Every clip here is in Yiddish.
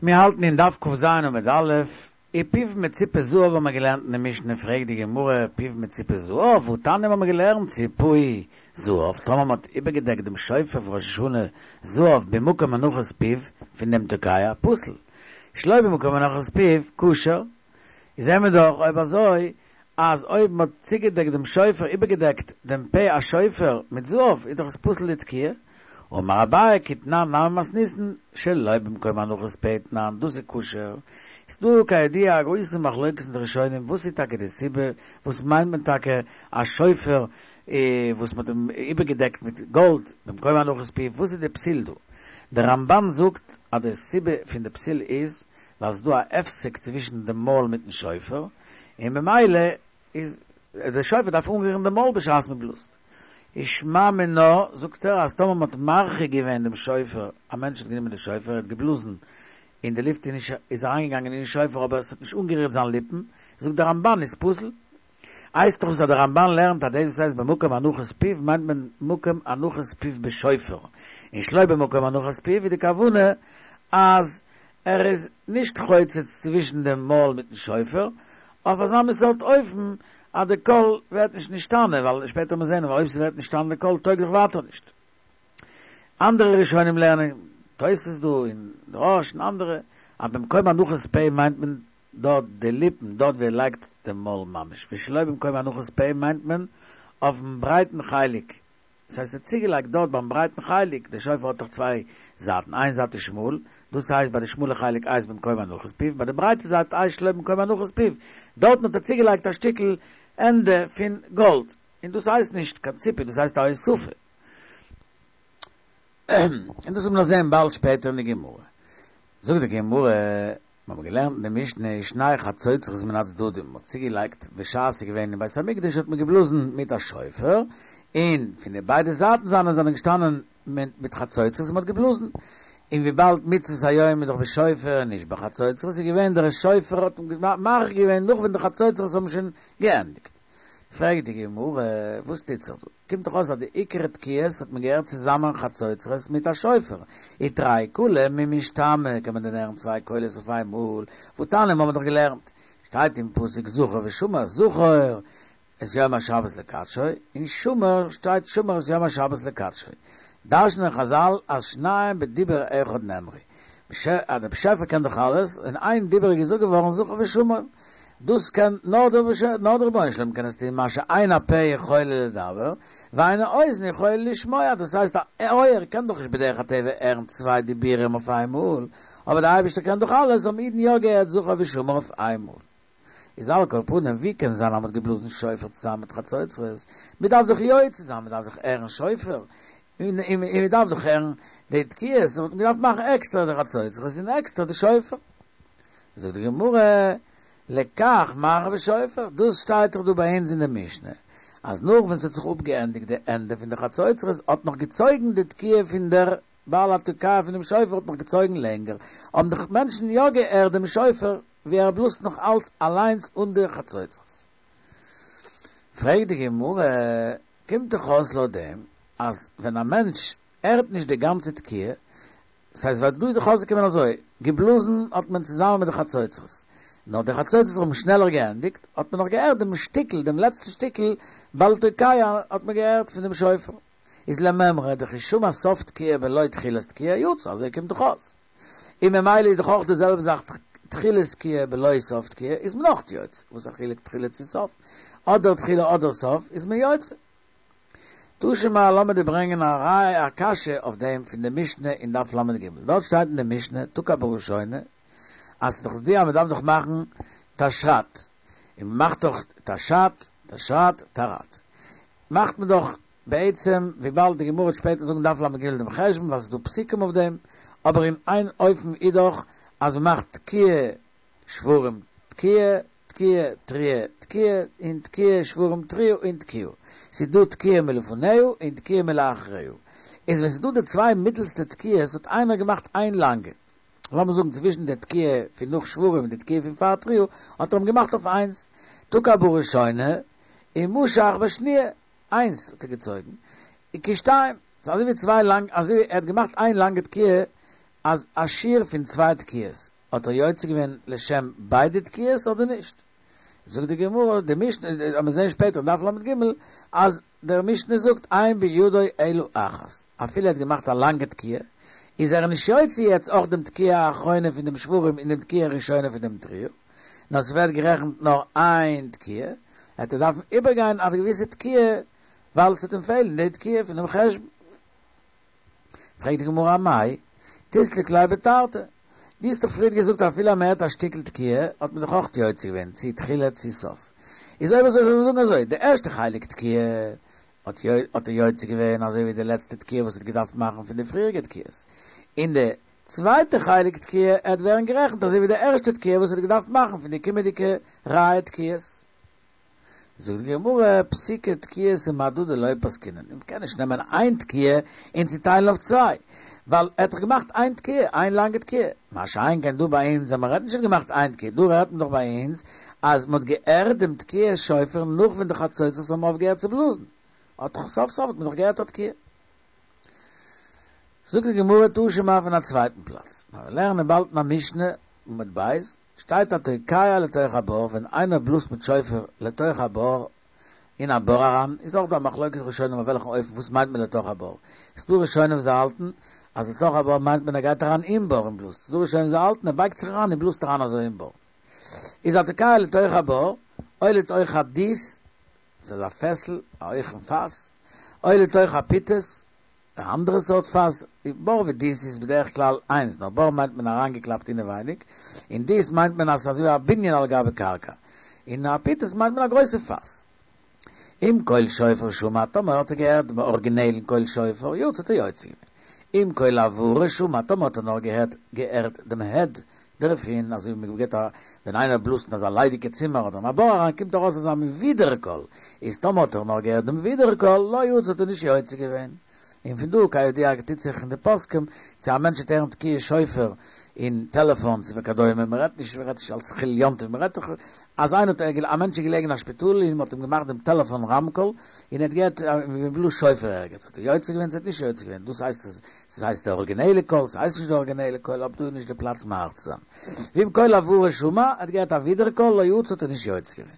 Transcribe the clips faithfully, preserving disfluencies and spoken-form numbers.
מיר האלטן אין דף ק"ז עמוד א', ופיו מצופה זהב האבן מיר געלערנט אין די משנה, פרעגט די גמרא, פיו מצופה זהב, והתניא האבן מיר געלערנט ציפהו זהב, טאמער מ'האט איבערגעדעקט דעם שופר פון ראש השנה זהב במקום הנחת פיו פון דעם תוקע, פסול, שלא במקום הנחת פיו, כשר, איז זעהן מיר דאך אויב אזוי אז אויב מ'האט צוגעדעקט דעם שופר, איבערגעדעקט דעם פה השופר מיט זהב, איז דאך עס פסול לתקיעה. אמר אביי כתנן נמי מתניתין שלא במקום הנחת פה תנן, דאס איז כשר. איז דא כידוע א גרויסע מחלוקת אין די ראשונים וואס איז טאקע די סיבה, וואס מיינט מען טאקע א שופר וואס מ'האט אים איבערגעדעקט מיט גאלד במקום הנחת פיו, וואס איז די פסול דא? דער רמב"ן זאגט אז די סיבה פון די פסול איז ווייל ס'איז דא א הפסק צווישן די מויל מיטן שופר, און ממילא איז די שופר דארף אנרירן די מויל בשעת מ'בלאזט. איז שמע מינה, זאגט ער אז טאמער מ'האט מרחיק געווען דעם שופר, א מענטש האט גענומען די שופר, ער האט געבלאזן און די לופט איז נישט איז אריינגעגאנגען אין שופר אבער עס האט נישט אנגערירט זיין ליפן, זאגט דער רמב"ן איז פסול. הייסט דאך אז דער רמב"ן לערנט אז דאס וואס הייסט במקום הנחת פיו מיינט מען מקום הנחת פיו בשופר, און שלא במקום הנחת פיו איז די כוונה אז ער איז נישט חוצץ צווישן דעם מויל מיטן שופר, אויף אזא מין סארט אופן אז די קול ווערט נישט נשתנה, ווייל שפעטער וועט מען זען אויב ס'ווערט נשתנה די קול טויג דאך ווייטער נישט. אנדערע ראשונים לערנען, תוס' דא און די רא"ש און אנדערע, אז במקום הנחת פה מיינט מען דארט די ליפן, דארט ווי ער לייגט דעם מויל ממש, ושלא במקום הנחת פה מיינט מען אויפן ברייטן חלק, דאס הייסט ער האט צוגעלייגט דארט ביים ברייטן חלק, דער שופר האט דאך צוויי זייטן, איין זייט איז שמאל, דאס הייסט ביי די שמאלע חלק הייסט במקום הנחת פיו, ביי די ברייטע זייט הייסט שלא במקום הנחת פיו, דארטן האט ער צוגעלייגט א שטיקל ענדע פון גאלד, און דאס הייסט נישט קיין ציפוי, דאס הייסט א הוספה. און דאס וועט מען נאך זען באלד שפעטער אין די גמרא. זאגט די גמרא, מיר האבן געלערנט אין די משנה שני חצוצרות מן הצדדים, מען האט צוגעלייגט בשעת ס'איז געווען אין בית המקדש האט מען געבלאזן מיט א שופר, און פון די ביידע זייטן זיינע זענען געשטאנען מיט חצוצרות און מען האט געבלאזן, און וויבאלד מצוות היום איז דאך בשופר און נישט בחצוצרות איז געווען דער שופר האט מאריך געווען נאך ווען די חצוצרות האבן שוין געענדיגט. פרעגט די גמרא, וואס טוט זיך דא? קומט דאך אויס אז די עיקר תקיעות האט מען געהערט צוזאמען חצוצרות מיט א שופר, ותרי קלי מי משתמעי, קען מען דען הערן צוויי קולות אויף איין מאל? והתניא האבן מיר דאך געלערנט, שטייט אין פסוק זכור ושמור, זכור את יום השבת לקדשו, און שמור שטייט שמור את יום השבת לקדשו. דרש'נען חזל אז שניהם בדיבור אחד נאמרו. אז דער באשעפער קען דאך אלעס, אין איין דיבור איז געזאגט געווארן זכור ושמור. דאס קען נאר דער נאר דער רבונו של עולם קען עס טון, מה שאין הפה יכולה לדבר, ואין האוזן יכולה לשמוע, דאס הייסט א אויער קען דאך נישט בדרך הטבע הערן צוויי דיבורים אויף איינמאל, אבער דער אייבערשטער קען דאך אלעס, האבן אידן יא געהערט זכור ושמור אויף איינמאל. איז על כל פנים ווי קען זיין אז מ'האט געבלאזן שופר צוזאמען מיט חצוצרות? מ'דארף דאך יוצא זיין, מ'דארף דאך הערן שופר, און מ'דארף דאך הערן די תקיעות, וואלט מען געדארפט מאכן עקסטער די חצוצרות און עקסטער די שופר. זאגט די גמרא, לכך מרחיב בשופר, דאס שטייט דאך דא ביי אונז אין די משנה, אז נאך ווען ס'האט זיך אפגעענדיגט די ענדע פון די חצוצרות האט נאך געצויגן די תקיעה פון דער בעל התוקע פון דעם שופר האט נאך געצויגן לענגער, האבן די מענטשן יא געהערט דעם שופר ווי ער בלאזט נאך אלץ אליינס אן די חצוצרות. פרעגט די גמרא, קומט דאך אויס לויט דעם אז ווען א מענטש הערט נישט די גאנצע תקיעה, ס'הייסט ווייל דא איז דאך אויסגעקומען אזוי, געבלאזן האט מען צוזאמען מיט די חצוצרות, נאר די חצוצרות האבן שנעלער געענדיגט, האט מען נאך געהערט דעם שטיקל, דעם לעצטן שטיקל בעל תוקע האט מען געהערט פון דעם שופר. איז למימרא דכי שמע סוף תקיעה בלא תחילת תקיעה יצא, אזוי קומט דאך אויס. און ממילא איז דאך אויך די זעלבע זאך תחילת תקיעה בלא סוף תקיעה איז מען אויך יוצא, וואס א חילוק תחילה צו סוף, אדער תחילה אדער סוף איז מען יוצא. תא שמע לאמיר דיר ברענגען א ראיה א קשיא אויף דעם פון די משנה אין דף ל"ג, דארט שטייט אין די משנה תקע בראשונה אז ס'איז דאך ידוע אז מ'דארף דאך מאכן תשר"ת, און מ'מאכט דאך תש"ת, תשר"ת, תר"ת, מאכט מען דאך בעצם וויבאלד די גמרא וועט שפעטער זאגן דף ל"ג דעם חשבון ווייל ס'איז דא פסוקים אויף דעם, אבער אין איין אופן איז דאך אז מ'מאכט תקיעה שברים תקיעה תקיעה תרועה תקיעה און תקיעה שברים תרועה און תקיעה. ס'איז דא תקיעה מלפניה און תקיעה מלאחריה. איז ווען ס'איז דא די צוויי מיטלסטע תקיעות האט איינער געמאכט איין לאנגע. לאמיר זאגן צווישן די תקיעה פון נאך שברים און די תקיעה פון פאר תרועה האט ער אים געמאכט אויף איינס. תקע בראשונה און משך בשניה. איינס האט ער געצויגן. כשתיים. ס'איז אזוי ווי צוויי לאנג אזוי ווי ער האט געמאכט איין לאנגע תקיעה אז א שיעור פון צוויי תקיעות האט ער יוצא געווען לשם ביידע תקיעות אדער נישט? זאגט די גמרא, די משנה, מיר זעען שפעטער אין דף ל"ג, אז דער משנה זאגט אין בידו אלא אחת, אפילו ער האט געמאכט א לאנגע תקיעה, איז ער נישט יוצא יעצט אויך דעם תקיעה האחרונה פון דעם שברים און דעם תקיעה הראשונה פון דעם תרועה, נאר ס'ווערט גערעכנט נאר איין תקיעה, ער וועט דארפן איבערגיין א געוויסע תקיעה ווייל ס'וועט אים פעלן די תקיעה פון דעם חשבון. פרעגט די גמרא אמאי תיסלק ליה בתרתי, דו האסט דאך פריערט געזאגט אפילו אז מ'הערט א שטיקל תקיעה האט מען דאך אויך יוצא געווען, צי תחילה צי סוף. איז אויב אזוי זאל מען זאגן אזוי, די ערשטע חלק תקיעה האט ער יוצא געווען אזוי ווי די לעצטע תקיעה וואס ער האט געדארפט מאכן פון די פריעריגע תקיעות, און די צווייטע חלק תקיעה עט ווערן גערעכנט אזוי ווי די ערשטע תקיעה וואס ער האט געדארפט מאכן פון די קומענדיגע רייע תקיעות. זאגט די גמרא, פסיקי תקיעתא מהדדי לא פסקינן, מען קען נישט נעמען איין תקיעה און צוטיילן אויף צוויי, ווייל ער האט דאך געמאכט איין תקיעה, איין לאנגע תקיעה, מה שאין כן דא ביי אונז אז מען רעדט נישט ער האט געמאכט איין תקיעה, דא רעדט מען דאך ביי אונז אז מען האט געהערט דעם תקיעת שופר נאך ווען די חצוצרות האבן אויפגעהערט צו בלאזן, האט דאך סוף סוף האט מען דאך געהערט א תקיעה. זאגט די גמרא תא שמע פון א צווייטן פלאץ, מיר לערנען באלד אין א משנה, עמוד ב', שטייט התוקע לתוך הבור, ווען איינער בלאזט מיט שופר לתוך הבור, אין א בור אריין, איז אויך דא א מחלוקת ראשונים אויף וועלכן אופן וואס מיינט מען לתוך הבור, ס'דא ראשונים וואס האלטן אז לתוך הבור מיינט מען ער גייט אריין אין בור און בלאזט, ס'דא ראשונים וואס האלטן ער בייגט זיך אריין און בלאזט אריין אזוי אין בור. איז התוקע לתוך הבור, או לתוך הדית, ס'איז א פעסל, א הויכן פאס, או לתוך הפיטס, א אנדערע סארט פאס, בור ודית איז בדרך כלל איינס, נאר בור מיינט מען אריינגעקלאפט אינעווייניג, און דית מיינט מען אז ס'איז אזוי ווי א בנין על גבי קרקע, און א פיטס מיינט מען א גרויסע פאס. אם קול שופר שמע, טאמער האט ער געהערט דעם ארגינעלן קול שופר, יצא האט ער יוצא געווען. אם קול הברה שמע, טאמער האט ער נאר געהערט געהערט דעם הד דערפון, אזוי ווי מ'געט א ווען איינער בלאזט אין אזא ליידיגע צימער אדער אין א בור אריין קומט ארויס אזא מין ווידערקול, איז טאמער האט ער נאר געהערט דעם ווידערקול, לא יצא האט ער נישט יוצא געווען. און פון דא כידוע טוט זיך אין די פוסקים צו א מענטש וועט הערן תקיעת שופר אין טעלעפאנס וכדומה, מען רעדט נישט מען רעדט נישט אלס חילול יום טוב, מען רעדט דאך אז איינער האט א מענטש איז געלעגן אין א שפיטאל און מען האט אים געמאכט דעם טעלעפאן רמקול און ער האט געהערט ווי מען בלאזט שופר ערגעץ, האט ער יוצא געווען צו האט נישט יוצא געווען, דאס הייסט עס הייסט די אריגינעלע קול, ס'הייסט נישט די אריגינעלע קול, אבער דא איז נישט די פלאץ מאריך צו זיין. ואם קול הברה שמע, ער האט געהערט א ווידערקול, לא יצא האט ער נישט יוצא געווען.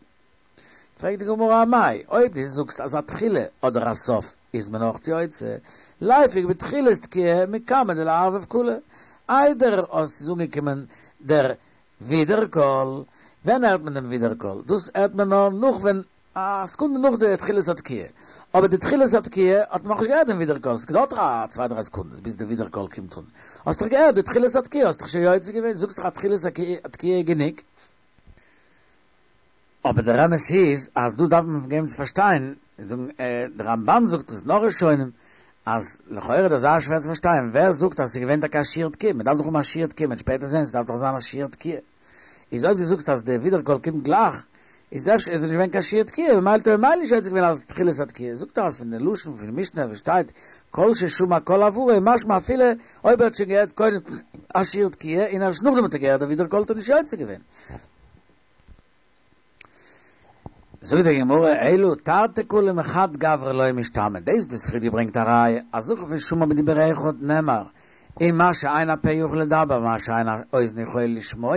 פרעגט די גמרא אמאי, אויב דו זאגסט אז א תחילה אדער א סוף איז מען אויך יוצא, ליפוק בתחילת תקיעה מקמי דלערבב קלא, איידער עס איז אנגעקומען דער ווידערקול, ווען הערט מען דעם ווידערקול? דאס הערט מען נאר נאך ווען א סעקונדע נאך די תחילת התקיעה, אבער די תחילת התקיעה האט מען נאכנישט געהערט דעם ווידערקול, עס געדויערט דאך א צוויי דריי סעקונדעס ביז די ווידערקול קומט אן, האסט דאך געהערט די תחילת התקיעה האסט דאך שוין יוצא געווען, זאגסט דאך אז תחילת התקיעה איז גענוג. אבער דער אמת איז אז דא דארף מען געבן צו פארשטיין, זאגן דער רמב"ן זאגט עס נאך ראשונים, אז לכאורה איז דאך זייער שווער צו פארשטיין, ווער זאגט אז ס'איז געווען טאקע א שיעור תקיעה, מ'דארף דאך האבן א שיעור תקיעה, מ'וועט שפעטער זען ס'דארף דאך זיין א שיעור תקיעה, איז אויב דו זאגסט אז די ווידערקול קומט גלייך, איז אפשר איז עס נישט געווען קיין שיעור תקיעה, ממילא האט ער ממילא נישט יוצא געווען אלס תחילת התקיעה, זאגט ער אז פון די לשון פון משנה וואס שטייט כל ששמע קול הברה איז משמע אפילו אויב ער האט שוין געהערט קודם א שיעור תקיעה און ערשט נאכדעם האט ער געהערט די ווידערקול האט ער נישט יוצא געווען. זאגט די גמרא, אלא תרתי קלי מחד גברא לא משתמע, דאס וואס פריער געברענגט א ראיה אז זכר פון שמע בדיבור אחד נאמר, און מה שאין הפה יכול לדבר ומה שאין האוזן יכולה לשמוע,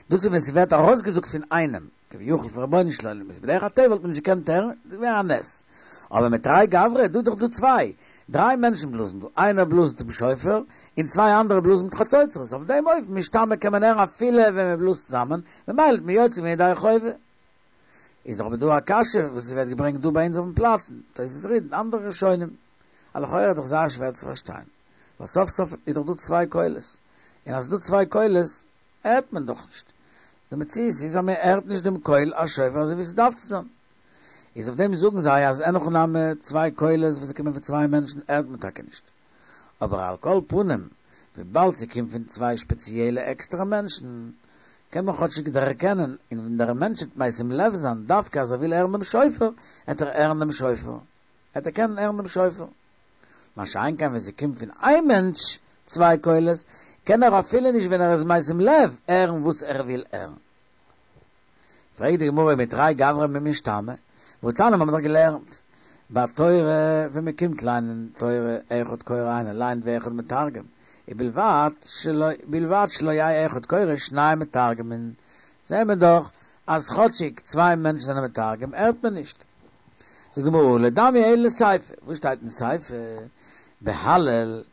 דאס איז ווען ס'ווערט ארויסגעזאגט פון איינעם, כביכול פון רבונו של עולם, איז בדרך הטבע וואלט מען נישט געקענט הערן, דאס ווערט א נס. אבער מתרי גברי, דא איז דאך דא צוויי, דריי מענטשן בלאזן דא, איינער בלאזט דעם שופר, און צוויי אנדערע בלאזן מיט חצוצרות, אויף דעם אופן משתמע קען מען הערן אפילו ווען מען בלאזט צוזאמען, ממילא האט מען יוצא געווען ידי חובה. איז אבער דא א קשיא וואס עס ווערט געברענגט דא ביי אונז אויפן פלאץ, תוס' רי"ד און אנדערע ראשונים, אז לכאורה איז דאך זייער שווער צו פארשטיין, ווייל סוף סוף איז דאך דא צוויי קולות, און אז ס'איז דא צוויי קולות הערט מען דאך נישט, די מציאות איז אז מען הערט נישט דעם קול השופר אזוי ווי ס'דארף צו זיין, איז אויף דעם זאגן זיי אז אין הכי נמי צוויי קולות וואס קומען פון צוויי מענטשן הערט מען טאקע נישט, אבער על כל פנים וויבאלד ס'קומט פון צוויי שפעציעלע עקסטערע מענטשן קען מען כאטשיג דערקענען, און ווען דער מענטש וועט משים לב זיין דווקא אז ער וויל הערן דעם שופר, עט ער הערן דעם שופר, עט ער קענען הערן דעם שופר. מה שאין כן ווען ס'קומט פון איין מענטש צוויי קולות, קען ער אפילו נישט ווען ער איז משים לב הערן וואס ער וויל הערן. פרעגט די גמרא ומתרי גברי מי משתמע, והתניא מיר האבן דאך געלערנט בתורה ווען מען קומט ליינען תורה אחד קורא איינער ליינט ואחד מתרגם, ובלבד שלא בלבד שלא יהא אחד קורא שנים מתרגמין. זעהן מיר דאך אז כאטשיג צוויי מענטשן זענען מתרגם הערט מען נישט. זאגט די גמרא לדמי אלא לסיפא, וואס שטייט אין סיפא? בהלל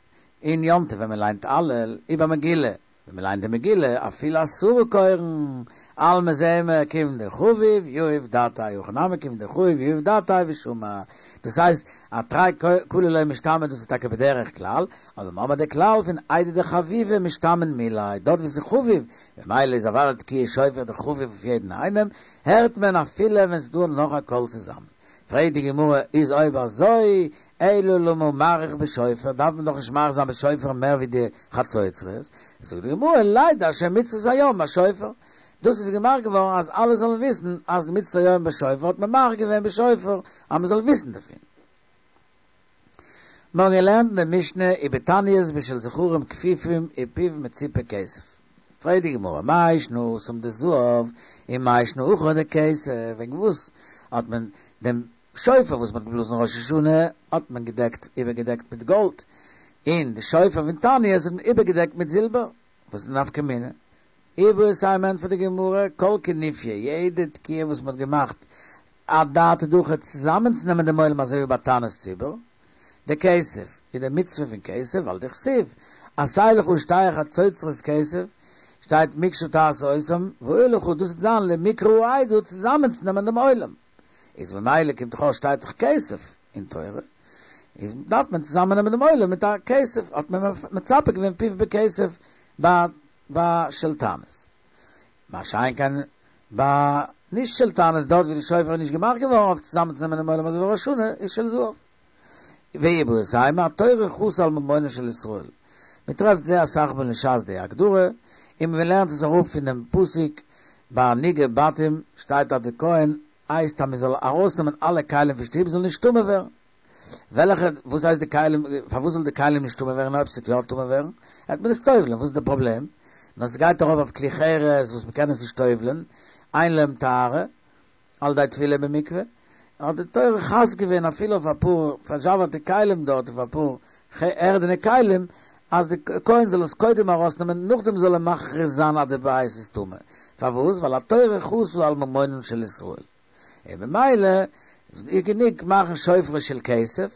אין יום טוב ווען מען ליינט הלל ובמגילה, ווען מען ליינט די מגילה אפילו עשרה קורין, אלמא זעהן מיר כיון דחביב יהיב דעתיה הכא נמי כיון דחביב יהיב דעתיה ושמע, דאס הייסט אז תרי קלי לא משתמעי דאס איז טאקע בדרך כלל, אבער מיר האבן די כלל פון איידי דחביבא משתמעין מיליה, דארט ווי ס'איז חביב, ממילא איז אוודאי תקיעת שופר דאך חביב אויף יעדן איינעם, הערט מען אפילו ווען ס'איז דא נאך א קול צוזאמען. פרעגט די גמרא, איז אויב אזוי, אלא למה מאריך בשופר, דארף מען דאך נישט מאריך זיין בשופר מער ווי די חצוצרות, זאגט די גמרא, לידע שמצות היום בשופר, דאס איז געמאכט געווארן אז אלע זאלן וויסן אז די מצות היום בשופר האט מען מאריך געווען בשופר אז מען זאל וויסן דערפון. מיר האבן געלערנט אין די משנה ובתעניות בשל זכרים כפופים ופיו מצופה כסף. פרעגט די גמרא מאי שנא התם דזהב ומאי שנא הכא דכסף, וועגן וואס האט מען דעם שופר וואס מען האט געבלאזן ראש השנה האט מען געדעקט איבערגעדעקט מיט גאלד, און די שופר פון תעניות האט מען איבערגעדעקט מיט זילבער, וואס איז די נפקא מינה? איבעית אימא ענטפערט די גמרא, כל כינופיא, יעדע תקיעה וואס מען האט געמאכט אדעתא דהכי צוזאמענצונעמען דעם עולם אזוי ווי ביי תענית ציבור, דכסף, איז די מצוה פון כסף, ווייל דכתיב, עשה לך שתי חצוצרות כסף, שטייט מקשה תעשה אותם, והיו לך, דאס וועט זיין למקרא העדה צוזאמענצונעמען דעם עולם, איז ממילא קומט דאך אויס שטייט דאך כסף אין תורה, איז דארף מען צוזאמענעמען דעם עולם מיט א כסף, האט מען מצפה געווען פיו בכסף ביי ביי של תענית. מה שאין כן ביי נישט של תענית דארט ווי די שופר איז נישט געמאכט געווארן אויף צוזאמענצונעמען דעם עולם אזוי ווי ראש השנה איז של זהב. ואיבעית אימא התורה חסה על ממונן של ישראל. מען טרעפט זייער אסאך מאל אין שס די הגדרה, און מען לערנט עס אראפ פונעם פסוק ביי נגעי בתים שטייט אז די כהן הייסט אז מען זאל ארויסנעמען אלע כלים פון שטוב זאל נישט טמא ווערן. וועלכע, וואס הייסט די כלים, פארוואס זאל די כלים נישט טמא ווערן אויב ס'וועט יא טמא ווערן, העט מען עס טובל'ען, וואס איז די פראבלעם? נאר ס'גייט ארויף אויף כלי חרס וואס מ'קען עס נישט טובל'ען, אין להם טהרה, על ידי טבילה במקווה, האט די תורה חס געווען אפילו אויף אפאר פארזשאווערטע כלים דארט, אויף אפאר ערדענע כלים, אז די כהן זאל עס קודם ארויסנעמען נאכדעם זאל ער מכריז זיין אז די בית איז טמא, פארוואס? ווייל התורה חסה על ממונן של ישראל, און ממילא איז גענוג מאכן שופרות של כסף,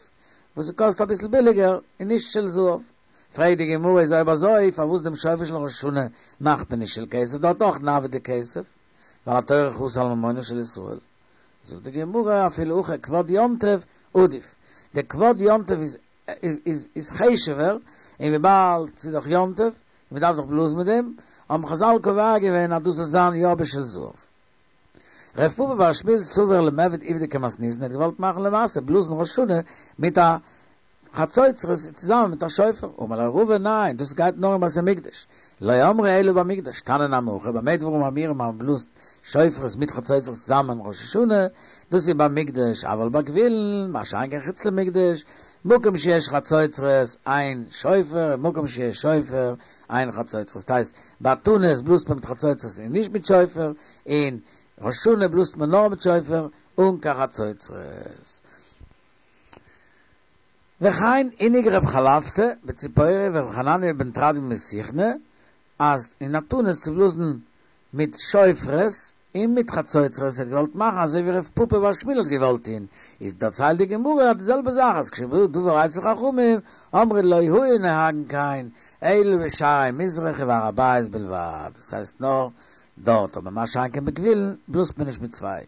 וואס ס'קאסט אביסל ביליגער, און נישט של זהב. פרעגט די גמרא איז אויב אזוי פארוואס דעם שופר של ראש השנה מאכט מען נישט של כסף, דארט אויך נעביד דכסף, ווייל התורה חסה על ממונן של ישראל. זאגט די גמרא אפילו הכי כבוד יום טוב עדיף, די כבוד יום טוב איז איז איז חשוב'ער, און וויבאלד ס'איז דאך יום טוב, און מ'דארף דאך בלאזן מיט דעם, האבן חזל קובע געווען אז דאס זאל זיין יא בשל זהב. רב פפא בר שמואל סבר למיעבד עובדא כמתניתין האט געוואלט מאכן למעשה בלאזן ראש השנה מיט א חצוצרות צוזאמען מיט א שופר, אמר ליה רבא ניין דאס גייט נאר אין בית המקדש, לא אמרו אלא במקדש, תנא נמי הכי, במה דברים אמורים אז מען בלאזט שופרות מיט חצוצרות צוזאמען ראש השנה, דאס איז במקדש, אבל בגבולין, מה שאין כן חוץ למקדש, מקום שיש חצוצרות אין שופר, מקום שיש שופר אין חצוצרות, ס'הייסט ביי תענית בלאזט מען מיט חצוצרות און נישט מיט שופר, און ראש השנה בלאזט מען נאר מיט שופר אן קיין חצוצרות. וכן הנהיג רב חלפתא בציפורי ורב חנניה בן תרדיון בסיכני אז אין א תענית צו בלאזן מיט שופרות און מיט חצוצרות ער האט געוואלט מאכן אזוי ווי רב פפא בר שמואל האט געוואלט טוהן איז דערציילט די גמרא די זעלבע זאך אז כשבא דבר אצל חכמים אמרו לא היו נוהגין כן אלא בשערי מזרח ובהר הבית בלבד דאס הייסט נאר דארט אבער מה שאין כן בגבולין בלאזט מען נישט מיט צוויי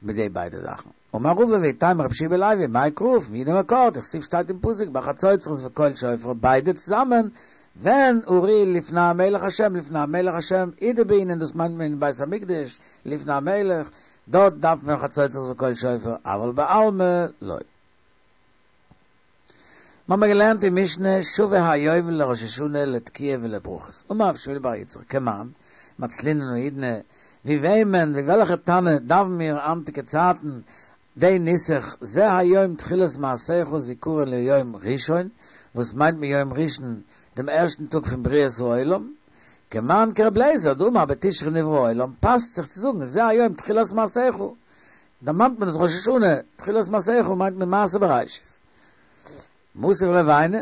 מיט די ביידע זאכן. אמר רבא ואיתימא רבי יהושע בן לוי מאי קרא פון ווי די מקור דכתיב שטייט אין פסוק בחצוצרות וקול שופר ביידע צוזאמען ווען הריעו לפני המלך השם לפני המלך השם הוא דבעינן דאס מיינט מען אין בית המקדש לפני המלך דארט דארף מען חצוצרות וקול שופר אבל בעלמא לא. מ'האמיר געלערנט אין משנה שווה היובל לראש השנה לתקיעה ולברכות, אמר רב שמואל בר יצחק כמאן מצלינן האידנא, ווי וועמען, ווי וועלכע תנא דאווען מיר היינטיגע צייטן די נוסח זה היום תחילת מעשיך זכרון ליום ראשון, וואס מיינט מען יום ראשון דעם ערשטן טאג פון בריאת העולם, כמאן כרבי אליעזר דאמר בתשרי נברא העולם, פאסט זיך צו זאגן זה היום תחילת מעשיך, דערמאנט מען עס ראש השנה, תחילת מעשיך מיינט מען מעשה בראשית. מתיב רב עינא,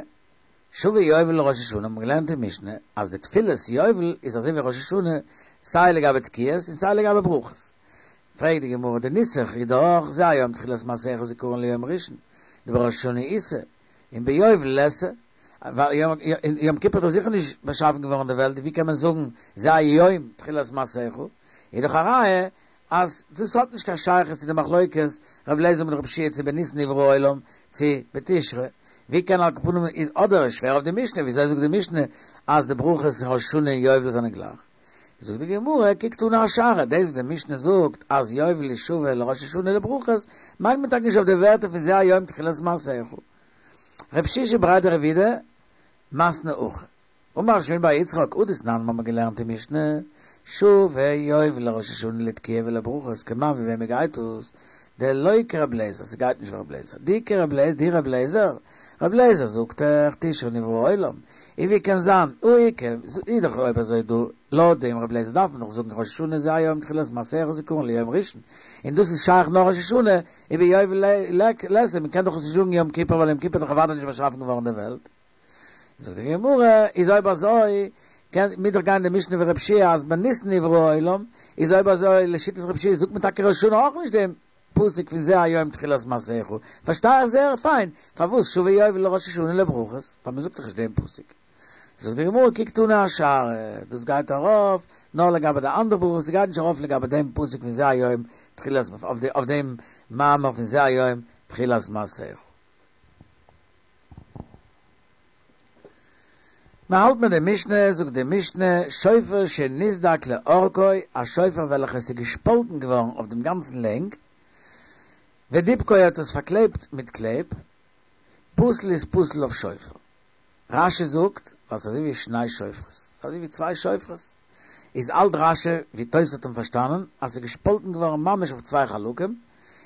שוה יובל לראש השנה, האבן מיר געלערנט אין משנה, אז די תפילת יובל איז אזוי ווי ראש השנה, סיי לגבי תקיעות און סיי לגבי ברכות. פרעגט די גמרא, די נוסח איז דאך זה היום תחילת מעשיך זכרון ליום ראשון, דבראש השנה איתא, און ביובל ליתא, ווייל יום כיפור איז דאך זיכער נישט באשאפן געווארן די וועלט, ווי קען מען זאגן זה היום תחילת מעשיך, איז דאך א ראיה אז דאס האט נישט קיין שייכות צו די מחלוקת ר' אליעזר מיט ר' יהושע צו בניסן נברא העולם צו בתשרי, ווי קען על כל פנים איז אדער איז שווער אויף די משנה, וויאזוי זאגט די משנה אז די ברכות אין ראש השנה און יובל זענען גלייך? זאגט די גמרא, כי קתני אשארא, דאס וואס די משנה זאגט אז יובל איז שווה לראש השנה לברכות, מיינט מען טאקע נישט אויף די ווערטער פון זה היום תחילת מעשיך. רב שישא בריה דרב אידי מתני הכי. אמר רב שמואל בר יצחק, הא דתנן האבן מיר געלערנט אין משנה, שוה יובל לראש השנה לתקיעה ולברכות, כמאן ווי וועמען גייט דאס? דלא כרב לעזער, ס'גייט נישט ווי רב לעזער, דאי כרב לעזער, דאי רב לעזער, רב לעזער זאגט דאך תשרי נברא העולם, און ווי קען זיין, הא איכא, איז דאך אויב אזוי דא, לויט דעם רב לעזער דארף מען דאך זאגן ראש השנה זה היום תחילת מעשיך זכרון ליום ראשון, און דאס איז שייך נאר ראש השנה, וביובל ליתא, מען קען דאך עס נישט זאגן יום כיפור ווייל יום כיפור איז דאך אוודאי נישט באשאפן געווארן די וועלט. זאגט די גמרא, איז אויב אזוי קען מוז דאך גיין די משנה ווי רב יהושע אז בניסן נברא העולם, איז אויב אזוי לשיטת רב יהושע זאגט מען טאקע ראש השנה אויך נישט דעם פסוק פון זה היום תחילת מעשיך, פארשטיי איך זייער פיין פארוואס שוה יובל לראש השנה לברכות, ווייל מען זאגט דאך נישט דעם פסוק. זאגט די גמרא כי קתני אשארא, דאס גייט ארויף נאר לגבי די אנדערע ברכות, ס'גייט נישט ארויף לגבי דעם פסוק פון זה היום תחילת אויף דעם מאמר פון זה היום תחילת מעשיך. מען האלט מיט די משנה, זאגט די משנה, שופר שנסדק לאורכו, א שופר וועלכע עס איז געשפאלטן געווארן אויף דעם גאנצן לענג, ודיבקו האט עס פארקלעבט מיט קלעב, פסול איז פסול אויף שופר. רשי זאגט, ווייל ס'איז אזוי ווי שני שופרות, ס'איז אזוי ווי צוויי שופרות, איז האלט רשי, ווי תוס' האט אים פארשטאנען, אז ס'איז געשפאלטן געווארן ממש אויף צוויי חלקים,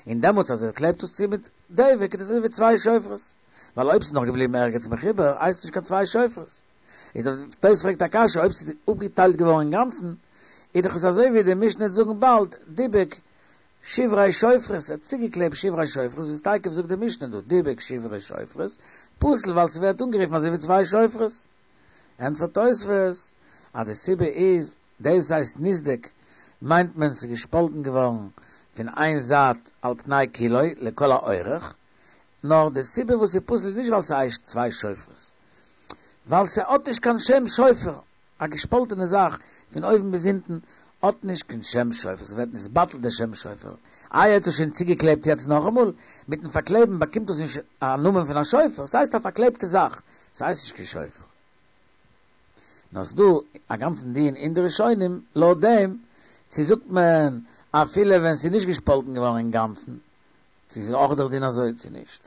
און דעמאלטס אז ער קלעבט עס צו מיט דבק איז עס אזוי ווי צוויי שופרות, ווייל אויב ס'איז נאך געבליבן ערגעץ מחובר הייסט עס נישט קיין צוויי שופרות. איז דער תוס' פרעגט א קשיא, אויב ס'איז אפגעטיילט געווארן אינגאנצן, איז דאך עס אזוי ווי די משנה וועט זאגן באלד, דיבק שברי שופרות, ער האט צוגעקלעבט שברי שופרות, וואס תיכף זאגט די משנה דא, דיבק שברי שופרות, פסול ווייל ס'ווערט אנגערופן אזוי ווי צוויי שופרות. ענטפערט תוספות, אז די סיבה איז, דאס הייסט נסדק מיינט מען ס'איז געשפאלטן געווארן פון איין זייט על פני כולו לכל האורך, נאר די סיבה וואס ס'איז פסול איז נישט ווייל ס'הייסט צוויי שופרות, ווייל ס'האט נישט קיין שם שופר, א געשפאלטענע זאך פון אויבן ביז אונטן האט נישט קיין שם שופר, ס'ווערט נתבטל די שם שופר, איי ער האט עס שוין צוגעקלעבט יעצט נאכאמאל, מיטן פארקלעבן באקומט עס נישט א נאמען פון א שופר, ס'הייסט א פארקלעבטע זאך, ס'הייסט נישט קיין שופר. נאר ס'דא א גאנצן דיון אין די ראשונים לויט דעם, צו זאגט מען אפילו ווען ס'איז נישט געשפאלטן געווארן אינגאנצן, צו ס'איז אויך דער דין אזוי צו נישט.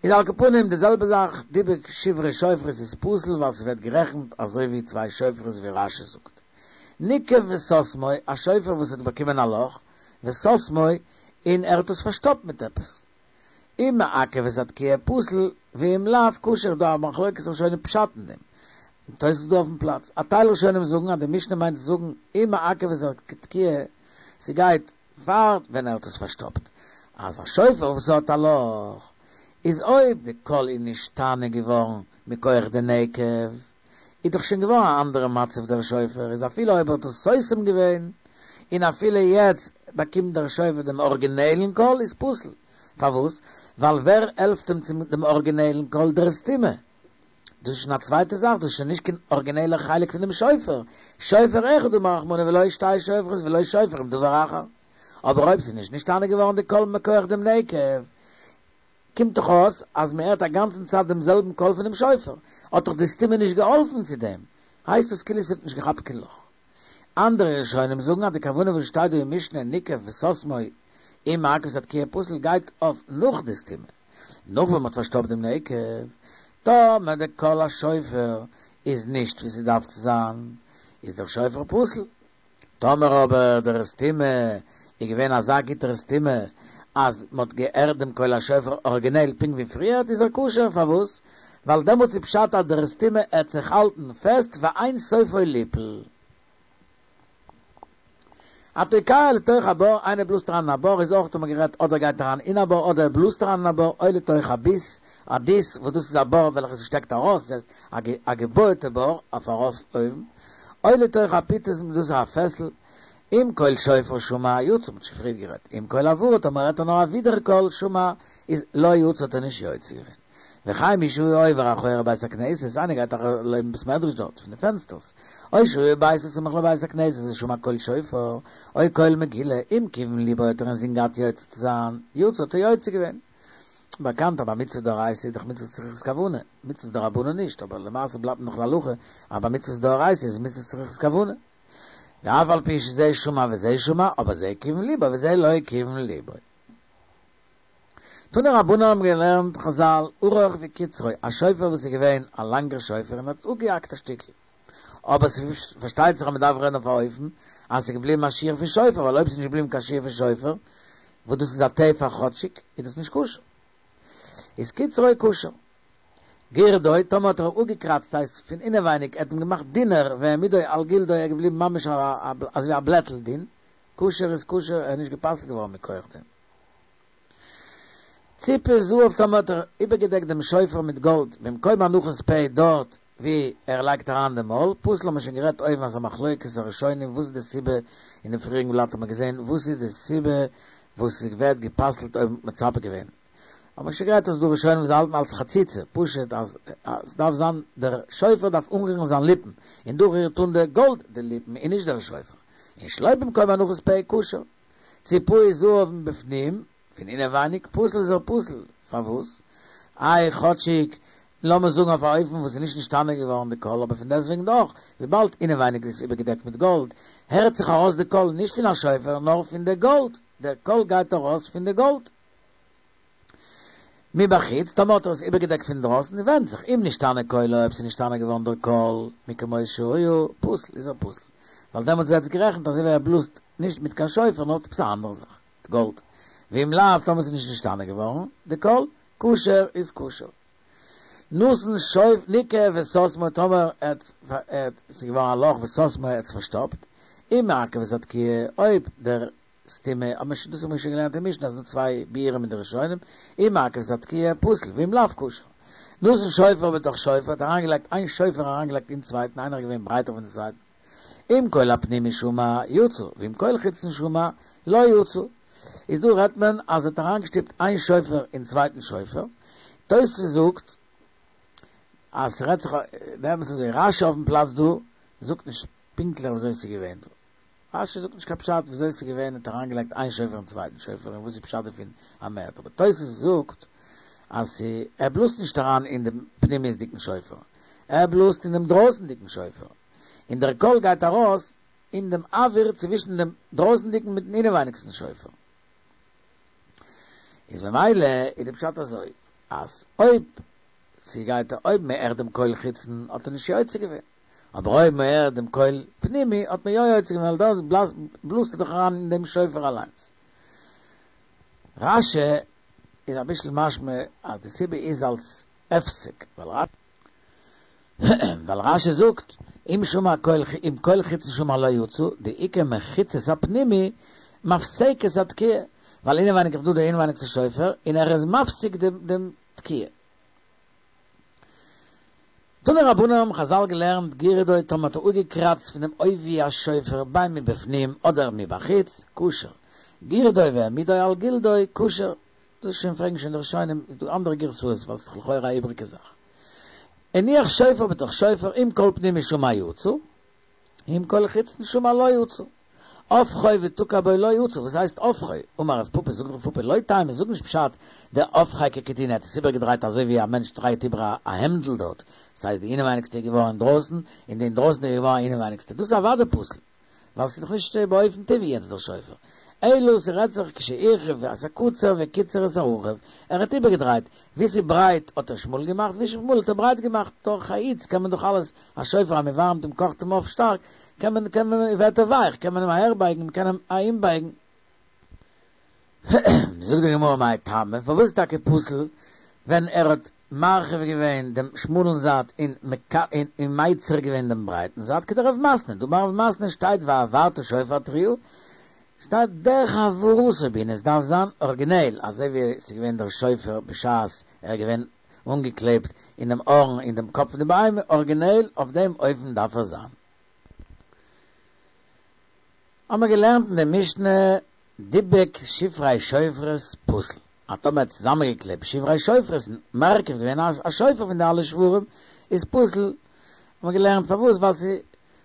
איז על כל פנים די זעלבע זאך דיבק שברי שופרות איז פסול ווייל ס'ווערט גערעכנט אזוי ווי צוויי שופרות ווי רשי זאגט. ניקב וסתמו, א שופר וואס האט באקומען א לאך, וסתמו, און ער האט עס פארשטאפט מיט עפעס. אם מעכב את התקיעה פסול, ואם לאו כשר, דא א מחלוקת ראשונים פשט אין דעם. תוס' דא אויפן פלאץ. א טייל ראשונים זאגן אז די משנה מיינט צו זאגן אם מעכב את התקיעה, ס'גייט פאר ווען ער האט עס פארשטאפט. אז א שופר וואס האט א לאך, איז אויב די קול איז נשתנה געווארן מכח די נקב, איז דאך שוין געווארן א אנדערע מצב דער שופר איז אפילו אויב ער האט עס סותם געווען, און אפילו יעצט באקומט דער שופר דעם ארגינעלן קול איז פסול. פארוואס? ווייל ווער העלפט אים צו דעם ארגינעלן קול? דער סתימה. דאס איז שוין א צווייטע זאך, דאס איז שוין נישט קיין ארגינעלער חלק פון דעם שופר. שופר אחד אמר רחמנא ולא שתי שופרות ולא שופר עם דבר אחר. אבער אויב ס'איז נישט נשתנה געווארן די קול מכח דעם נקב, קומט דאך אויס אז מען הערט א גאנצן צייט דעם זעלבן קול פונעם שופר, האט דאך די סתימה נישט געהאלפן צו דעם, הייסט עס כאילו ס'האט נישט געכאפט קיין לאך. אנדערע ראשונים זאגן אז די כוונה וואס שטייט דא אין משנה ניקב וסתמו אם מעכב את התקיעה פסול גייט אויף נאך די סתימה, נאך ווען מ'האט פארשטאפט דעם נקב, טאמער די קול השופר איז נישט ווי ס'דארף צו זיין, איז דער שופר פסול. טאמער אבער דער סתימה איז געווען אזא גוטער סתימה אז מ'האט געהערט דעם קול השופר אריגינעל פונקט ווי פריערט איז ער כשר, פארוואס? ווייל דעמאלטס איז פשט אז דער סתימה העט זיך האלטן פעסט ואין סופו ליפול. התוקע לתוך הבור, איינער בלאזט אריין אין א בור, איז אויך האט מען גערעדט אדער גייט אריין אין א בור אדער ער בלאזט אריין אין א בור, או לתוך הביס, א דיס, וואס דאס איז א בור וועלכע ס'שטעקט ארויס, דאס הייסט א געבויעטע בור אויף ארויף אויבן, או לתוך הפיטום, דאס איז א פעסל, אם קול שופר שמע יצא, מ'האט שוין פריער גערעדט, אם קול הברה, טאמער הערט ער נאר א ווידער קול שמע, איז לא יצא האט ער נישט יוצא געווען. וכן מי שהוא עובר אחורי בית הכנסת, איינער גייט ארויף לעבן בית מדרש דארט, פון די פענסטערס, או שהוא בבית הסמוך לבית הכנסת ושמע קול שופר, או קול מגילה, אם כיוון ליבו האט ער אינזין געהאט יוצא צו זיין, יצא האט ער יוצא געווען. באקאנט אז ביי מצוה דאורייתא איז דאך מצוות צריכות כוונה, מצוות דרבנן נישט, אבער למעשה בלייבט נאך להלכה אז ביי מצוות דאורייתא איז מצוות צריכות כוונה. ואף על פי שזה שמע וזה שמע, אבער זה כיוון ליבו וזה לא כיוון ליבו. תנו רבנן האבן געלערנט חזל, ארוך וקצרו, א שופר וואס איז געווען א לאנגער שופר און האט אפגעהאקט א שטיקל. אבער ס'פארשטייט זיך אז מ'דארף רעדן אויף א אופן אז ס'איז געבליבן א שיעור פון שופר, ווייל אויב ס'איז נישט געבליבן קיין שיעור פון שופר, וואס דאס איז א טפח כאטשיג, איז דאס נישט כשר. איז קצרו כשר. גירדו, טאמער האט ער אפגעקראצט, ס'הייסט פון אינעווייניג, ער האט אים געמאכט דינער, והעמידו על גלדו, ער איז געבליבן ממש אזויווי א בלעטל דין, כשר איז כשר, ער איז נישט גע'פסל'ט געווארן מכח דעם. ציפה זהב טאמער האט ער איבערגעדעקט דעם שופר מיט גאלד במקום הנחת פה דארט ווי ער לייגט אריין די מויל, פסול האט מען שוין גערעדט אויבן אז א מחלוקת הראשונים וואס איז די סיבה, אינעם פריעריגן בלאט האט מען געזען וואס איז די סיבה וואס ס'ווערט גע'פסל'ט אויב מ'האט מצפה געווען, האט מען שוין גערעדט אז ס'דא ראשונים וואס האלטן אלס חציצה, פשוט אז ס'דארף זיין דער שופר דארף אנרירן זיין ליפן, און דא רירט אן די גאלד די ליפן און נישט דער שופר, און שלא במקום הנחת פה כשר. ציפהו זהב מבפנים, פון אינעווייניג, פסול איז ער פסול, פארוואס? איי כאטשיג, לאמיר זאגן אויף א אופן וואס איז נישט נשתנה געווארן די קול, אבער פון דעסטוועגן דאך, וויבאלד אינעווייניג איז עס איבערגעדעקט מיט גאלד, הערט זיך ארויס די קול נישט פון א שופר נאר פון די גאלד, דער קול גייט ארויס פון די גאלד. מבחוץ, טאמער האט ער עס איבערגעדעקט פון דרויסן, ווענדט זיך, אם נשתנה קולו, אויב ס'איז נשתנה געווארן דער קול, מכמות שהיה, פסול, איז ער פסול. ווייל דעמאלטס ווערט עס גערעכנט אזוי ווי ער בלאזט נישט מיט קיין שופר נאר עפעס א אנדערע זאך, מיט גאלד. ואם לאו, טאמער ס'איז נישט נשתנה געווארן די קול, כשר איז כשר. נתן שופר ניקב וסתמו, טאמער ער האט, ס'איז געווארן א לאך וסתמו ער האט עס פארשטאפט, אם מעכב את התקיעה, אויב דער סתימה, האט מען שוין, דאס האט מען שוין געלערנט אין משנה אז ס'דא צוויי ביאורים אין די ראשונים, אם מעכב את התקיעה פסול, ואם לאו כשר. נתן שופר בתוך שופר, האט אריינגעלייגט איין שופר אריינגעלייגט אין צווייטן, איינער איז געווען ברייטער פון די צווייטן, אם קול הפנימי שמע יצא, ואם קול חיצון שמע לא יצא. איז דא רעדט מען אז ער האט אריינגעשטופט איין שופר אין צווייטן שופר, תוס' זאגט אז ס'רעדט זיך, דער אמת איז אזוי, רשי אויפן פלאץ דא זאגט נישט פונקטליך וויאזוי ס'איז געווען דא. רשי זאגט נישט קיין פשט וויאזוי ס'איז געווען, ער האט אריינגעלייגט איין שופר אין צווייטן שופר און וואס איז פשט דערפון אז מ'הערט, אבער תוס' זאגט אז ער בלאזט נישט אריין אין דעם פנימיות'דיגן שופר, ער בלאזט אין דעם דרויסנדיגן שופר, און דער קול גייט ארויס אין דעם אוויר צווישן דעם דרויסנדיגן מיטן אינעווייניגסטן שופר. איז ממילא איז די פשט אזוי, אז אויב ס'גייט אויב מ'הערט דעם קול חיצון האט ער נישט יוצא געווען, אבער אויב מ'הערט דעם קול פנימי האט מען יא יוצא געווען ווייל דארט בלאזט ער דאך אריין אין דעם שופר אליינס. רשי איז אביסל משמע אז די סיבה איז אלס הפסק, ווייל רשי זאגט אם שמע קול אם קול חיצון שמע לא יצא, דאיכא מחיצת הפנימי מפסקת התקיעה, ווייל אינעווייניג איז דא די אינעווייניגסטע שופר און ער איז מפסיק דעם תקיעה. תנו רבנן האבן חזל געלערנט גירדו טאמער האט ער אפגעקראצט פון דעם עובי השופר בין מבפנים אדער מבחוץ, כשר, גירדו והעמידו על גלדו, כשר, דאס שוין פרעגן שוין די ראשונים, איז דא אנדערע גירסאות ווייל ס'איז דאך לכאורה א איבריגע זאך. הניח שופר בתוך שופר אם קול פנימי שמע יצא, אם קול חיצון שמע לא יצא. הפכו ותקע בו לא יצא, וואס הייסט הפכו? אמר רב פפא, זאגט רב פפא, לא טעמא, זאג נישט פשט דהפכיה ככיטונא, ער האט עס איבערגעדרייט אזוי ווי א מענטש דרייט איבער א העמדל דארט, דאס הייסט די אינעווייניגסטע איז געווארן אינדרויסן, און די אינדרויסן איז געווארן אינעווייניגסטע, דאס איז אוודאי פסול, ווייל ס'איז דאך נישט באופן טבעי יעצט דער שופר, אלא ס'רעדט זיך כשהרחיב את הקצר וקיצר את הרחב, ער האט איבערגעדרייט, ווי ס'איז ברייט האט ער שמאל געמאכט, ווי ס'איז שמאל האט ער ברייט געמאכט, דורך א היץ קען מען דאך אלעס, א שופר אז מ'ווארעמט אים קאכט אים אויף שטארק, קען מען קען מען ווערט ער ווייך, קען מען אים אהערבייגן, מ'קען אים אהינבייגן. זאגט די גמרא מאי טעמא, פארוואס איז טאקע פסול ווען ער האט מרחיב געווען דעם שמאלן זייט און און מיצר געווען דעם ברייטן זייט, כדרב מתנה, דאמר רב מתנה שטייט והעברת שופר תרועה, שטייט דרך העברתו בעינן, עס דארף זיין ארגינעל, אזוי ווי עס איז געווען דער שופר בשעת ער איז געווען אנגעקלעבט אינעם הארן אין דעם קאפ פון די בהמה, ארגינעל אויף דעם אופן דארף ער זיין. האבן מיר געלערנט אין די משנה דיבק שברי שופרות פסול, אז טאמער האט צוזאמענגעקלעבט שברי שופרות און מרכיב געווען א שופר פון די אלע שברים איז פסול, האבן מיר געלערנט פארוואס ווייל ס'איז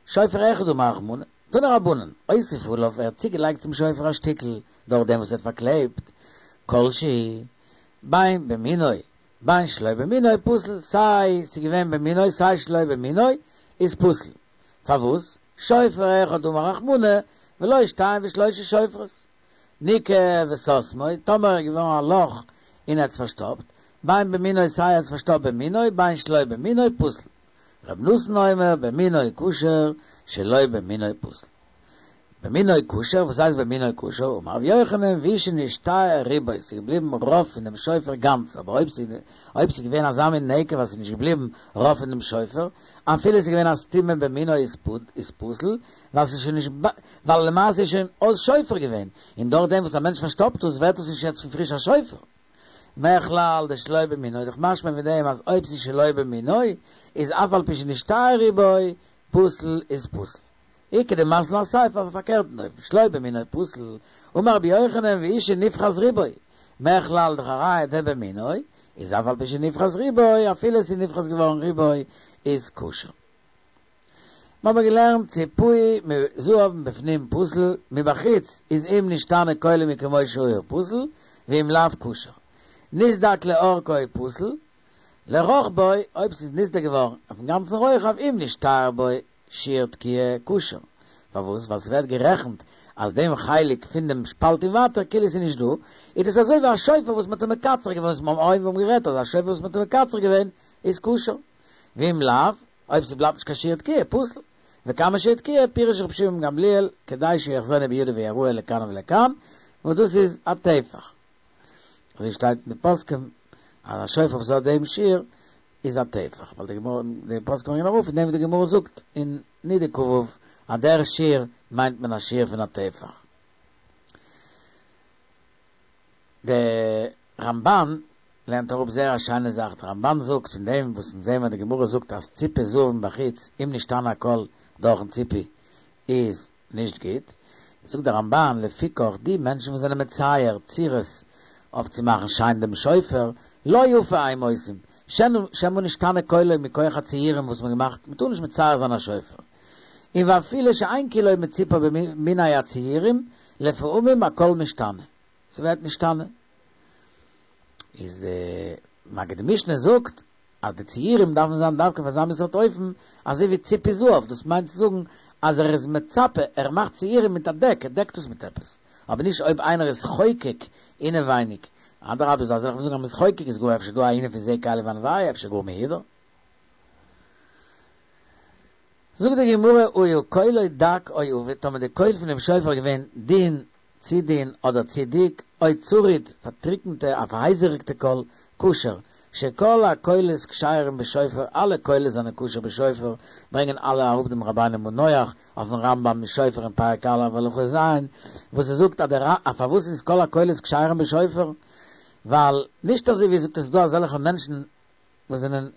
שופר אחד אמר רחמנא, תנו רבנן, הוסיף עליו ער האט צוגעלייגט צום שופר א שטיקל דורך דעם וואס ער האט פארקלעבט כל שהוא בין במינו בין שלא במינו פסול, סיי ס'איז געווען במינו סיי שלא במינו איז פסול, פארוואס? שופר אחד אמר רחמנא ולא שתיים ושלושה שופרות, ניקב וסתמו, טאמער איז געווארן א לאך און ער האט עס פארשטאפט, בין במינו סיי ער האט עס פארשטאפט במינו בין שלא במינו פסול, ר' נתן אומר במינו כשר שלא במינו פסול. במינו כשר, וואס הייסט במינו כשר? אמר רבי יוחנן והוא שנשתייר רובו, ס'איז געבליבן רוב פון דעם שופר גאנץ, אבער אויב ס'איז אויב ס'איז געווען אזא מין נקב אז ס'איז נישט געבליבן רוב פון דעם שופר, אפילו ס'איז געווען א סתימה במינו איז איז פסול, ווייל ס'איז שוין נישט ווייל למעשה איז שוין אויס שופר געווען, און דורך דעם וואס א מענטש פארשטאפט עס ווערט עס נישט יעצט פון פריש א שופר. מכלל דשלא במינו איז דאך משמע פון דעם אז אויב ס'איז שלא במינו איז אף על פי שנשתייר רובו פסול איז פסול. איכא דמתני אסיפא אויף א פארקערטן אופן שלא במינו פסול אמר רבי יוחנן והוא שנפחת רובו מכלל דאך א ראיה דבמינו איז אף על פי שנפחת רובו אפילו ס'איז נפחת געווארן רובו איז כשר. מ'האבן געלערנט ציפהו מזהב מבפנים פסול מבחוץ איז אם נשתנה קולו מכמות שהיה פסול ואם לאו כשר. נסדק לאורכו פסול, לרוחבו, אויב ס'איז נסדק געווארן אויפן גאנצן רוחב אם נשתייר בו שיעור תקיעה כשר. פארוואס? ווייל ס'ווערט גערעכנט אז דעם חלק פון דעם שפאלט און ווייטער כאילו ס'איז נישט דא, איז דאס אזוי ווי א שופר וואס מ'האט אים מקצר געווען, וואס מ'האבן אויבן גערעדט אז א שופר וואס מ'האט אים מקצר געווען איז כשר. ואם לאו, אויב ס'בלייבט נישט קיין שיעור תקיעה, פסול. וכמה שיעור תקיעה, פירש רבי שמעון גמליאל, כדי שיאחזנו בידו ויראהו לכאן ולכאן, וואס דאס איז א טפח. אזוי שטייט אין די פוסקים אז א שופר וואס האט דעם שיעור איז א טפח, ווייל די גמרא, די פוסקים ברענגען אראפ פון דעם וואס די גמרא זאגט אין נדה כ"ו אז דער שיעור מיינט מען א שיעור פון א טפח. די רמב"ן לערנט אראפ זייער א שיינע זאך, די רמב"ן זאגט פון דעם וואס אונז זעהן מיר די גמרא זאגט אז ציפוי זהב מבחוץ אם נשתנה הקול דורכן ציפוי איז נישט גוט, זאגט דער רמב"ן לפיכך די מענטשן וואס זענען מצייר צורות אויף צו מאכן שיין דעם שופר, לא יפה הם עושים, שמא נשתנה קולו מכח הציורים וואס מ'האט געמאכט, מ'טאר נישט מצייר זיין א שופר, און ואפילו שאין כולו מצופי במיני הציורים, לפעמים הקול משתנה, ס'ווערט נשתנה. איז די מגיד משנה זאגט אז די ציורים דארפן זיין דווקא אויף אזא מין סארט אופן אזוי ווי ציפוי זהב, דאס מיינט צו זאגן אז ער איז מצפה, ער מאכט ציורים מיט א דעק, ער דעקט עס מיט עפעס, אבער נישט אויב איינער איז חוקק אינעווייניג, אדרבה איז דא אזעלכע וואס זאגן אז מ'איז חוקק איז גאר אפשר דא א ענין פון זה קלי ואנוהו, אפשר גאר מהודר. זאגט די גמרא היה קולו דק או עבה, טאמער די קול פונעם שופר איז געווען דין, צו דין אדער צו דיק, או צרוד, פארטריקנטע, א פארהייזעריגטע קול, כשר, שכל הקולות כשרים בשופר, אלע קולות זענען כשר בשופר, ברענגען אלע אראפ דעם רבינו מנוח אויפן רמב"ם אין שופר אין פרק א' הלכה ז', וואס ער זאגט אז דער א פארוואס איז כל הקולות כשרים בשופר, ווייל נישט אזוי ווי ער זאגט עס איז דא אזעלכע מענטשן וואס זענען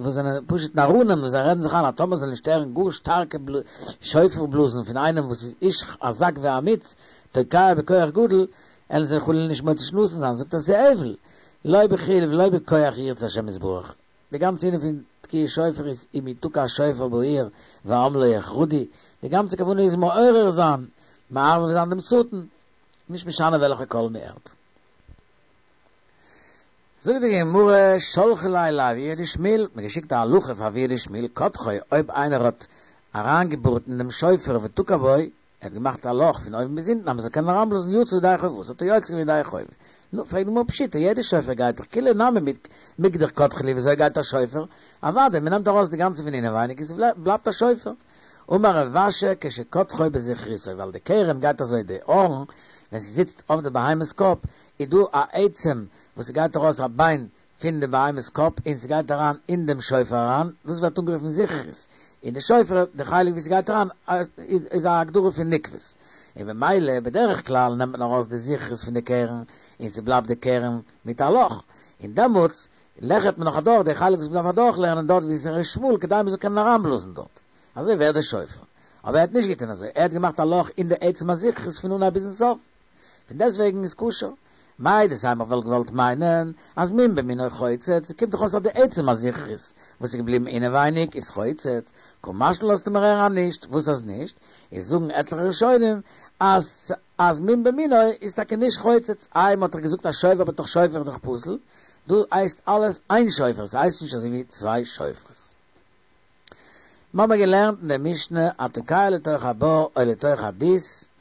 וואס זענען פשוט נאראנים וואס זיי רעדן זיך איין אז טאמער זיי נישט הערן גאר שטארקע שופר בלאזן פון איינעם וואס איז איש חזק ואמיץ תוקע בכח גדול עלן זיי חלילה נישט מוציא שנתן זיין זאגט ער ס'איז הבל לא בחיל ולא בכח ירצה השם יתברך די גאנצע ענין פון תקיעת שופר איז אם יתקע שופר בעיר והעם לא יחרדו די גאנצע כוונה איז מעורר זיין מערב זיין דעם שטן נישט משנה וועלכע קול מ'הערט. זאגט די גמרא, שלחו ליה לאבוה דשמואל, מ'האט געשיקט א הלכה פאר אבוה דשמואל, קדחו, אויב איינער האט אריינגעבארט אין דעם שופר ותקע בו, ער האט געמאכט א לאך פון אויבן ביז אונטן אז מ'זאל קענען אריינבלאזן יצא ידי חובתו, האט ער יוצא געווען ידי חובה. נו, פרעגט די גמרא פשיטא, יעדע שופר גייט דאך כוליה נמי מיקדח קדחו להו, וויאזוי גייט א שופר? אוודאי, מ'נעמט ארויס די גאנצע פון אינעווייניג און ס'בלייבט א שופר. אמר רב אשי כשקדחו בזכריתו, ווייל די קרן גייט אזוי, די הארן ווען ס'זיצט אויף די בהמה'ס קאפ, איז דא א עצם וואס ס'גייט ארויס א ביין פון די בהמה'ס קאפ און ס'גייט אריין אין דעם שופר אריין, דאס ווערט אנגערופן זכרית, און די שופר די חלק ווי ס'גייט אריין איז א הגדרה פון נקבות, און במילא בדרך כלל נעמט מען ארויס די זכוכית פון די קרן און ס'בלייבט די קרן מיט א לאך, און דעמאלטס לעכערט מען נאך אדורך די חלק וואס מ'דארף אדורכלעכערן דארט ווי ס'איז שמאל כדי מ'זאל קענען אריינבלאזן דארט. אזוי ווערט די שופר. אבער ער האט נישט געטון אזוי, ער האט געמאכט א לאך אין די עצם הזכוכית פון אנהייב ביזן סוף. פון דעסטוועגן איז כשר. מהו דתימא וואלט געוואלט מיינען אז מום במינו חוצץ, קומט דאך אויס אז די עצם הזכוכית וואס איז געבליבן אינעווייניג איז חוצץ, קא משמע לן לאזט מיר הערן אז נישט, וואס אז נישט? איז זאגן עטליכע ראשונים אז אז מום במינו איז טאקע נישט חוצץ, איי מ'האט דאך געזאגט אז שופר בתוך שופר איז דאך פסול, דא הייסט אלעס איין שופר, ס'הייסט נישט אזוי ווי צוויי שופרות. מ'האמער געלערנט אין די משנה התוקע לתוך הבור או לתוך הדות,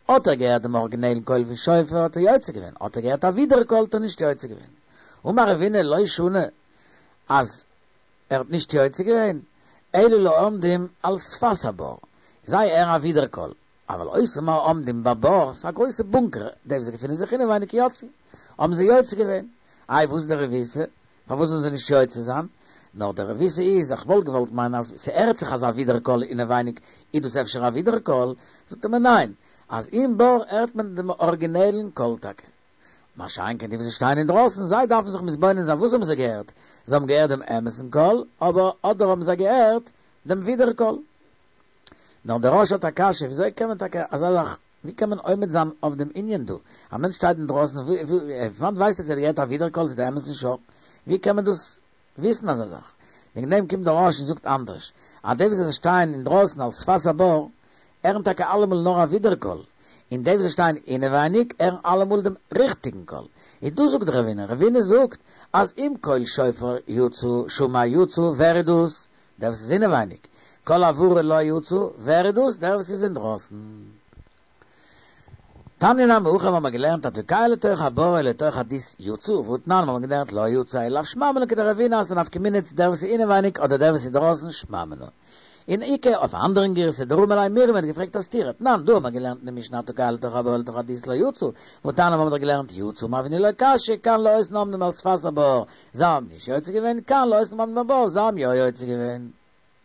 האט ער געהערט דעם ארגינעלן קול פון שופר האט ער יוצא געווען, האט ער געהערט א ווידער קול האט ער נישט יוצא געווען. אמר רבינא לא שנו אז ער האט נישט יוצא געווען, אלא לעומדים על שפת הבור, זיי הערן א ווידער קול, אבל אותם העומדים בבור, ס'איז א גרויסע בונקער, די וואס געפינען זיך אינעווייניג יצאו, האבן זיי יוצא געווען. איי וואס איז די רבותא? פארוואס זאלן זיי נישט יוצא זיין? נאר די רבותא איז, איך וואלט געוואלט מיינען אז ס'הערט זיך אזא ווידער קול אינעווייניג, איז דאס אפשר א ווידער קול? זאגט ער מיר ניין, אז אין בור הערט מען דעם ארגינעלן קול טאקע. מה שאין כן די וואס שטייען אינדרויסן, זיי דארפן זיך מתבונן זיין וואס האבן זיי געהערט, זיי האבן געהערט דעם אמת'ן קול, אבער אדער האבן זיי געהערט דעם ווידער קול. נאר דער רא"ש האט א קשיא, וויאזוי קען מען טאקע אזא זאך, ווי קען מען עומד זיין אויף דעם ענין דא? א מענטש שטייט אינדרויסן, פון וואנעט ווייסט ער צו ער האט געהערט א ווידער קול צו די אמת'ן שור? ווי קען מען דאס וויסן אזא זאך? וועגן דעם קומט דער רא"ש און זאגט אנדערש, אז די וואס זיי שטייען אינדרויסן על שפת הבור, הערן טאקע אלעמאל נאר א ווידער קול, און די וואס זיי שטייען אינעווייניג הערן אלעמאל דעם ריכטיגן קול. איז דאס זאגט רבינא, רבינא זאגט אז אם קול שופר יצא שמע יצא, ווער איז דאס? דער וואס איז אינעווייניג. קול הברה לא יצא, ווער איז דאס? דער וואס איז אינדרויסן. תניא נמי הכי האבן מיר געלערנט התוקע לתוך הבור או לתוך הדות יצא, והתנן האבן מיר געלערנט לא יצא אלא לאו שמע מינה כדרבינא אז ס'נפקא מינה צו דער וואס איז אינעווייניג אדער דער וואס איז דרויסן שמע מינה. און איכא אויף א אנדערן גירסא דרמי ליה מרי מ'האט געפרעגט א סתירה תנן דא האט מען געלערנט אין די משנה התוקע לתוך הבור לתוך הדות לא יצא והתניא האבן מיר דאך געלערנט יצא אמר רבינא לא קשיא כאן לאותן העומדים על שפת הבור זיי האבן נישט יוצא געווען כאן לאותן העומדים בבור זיי האבן יא יוצא געווען.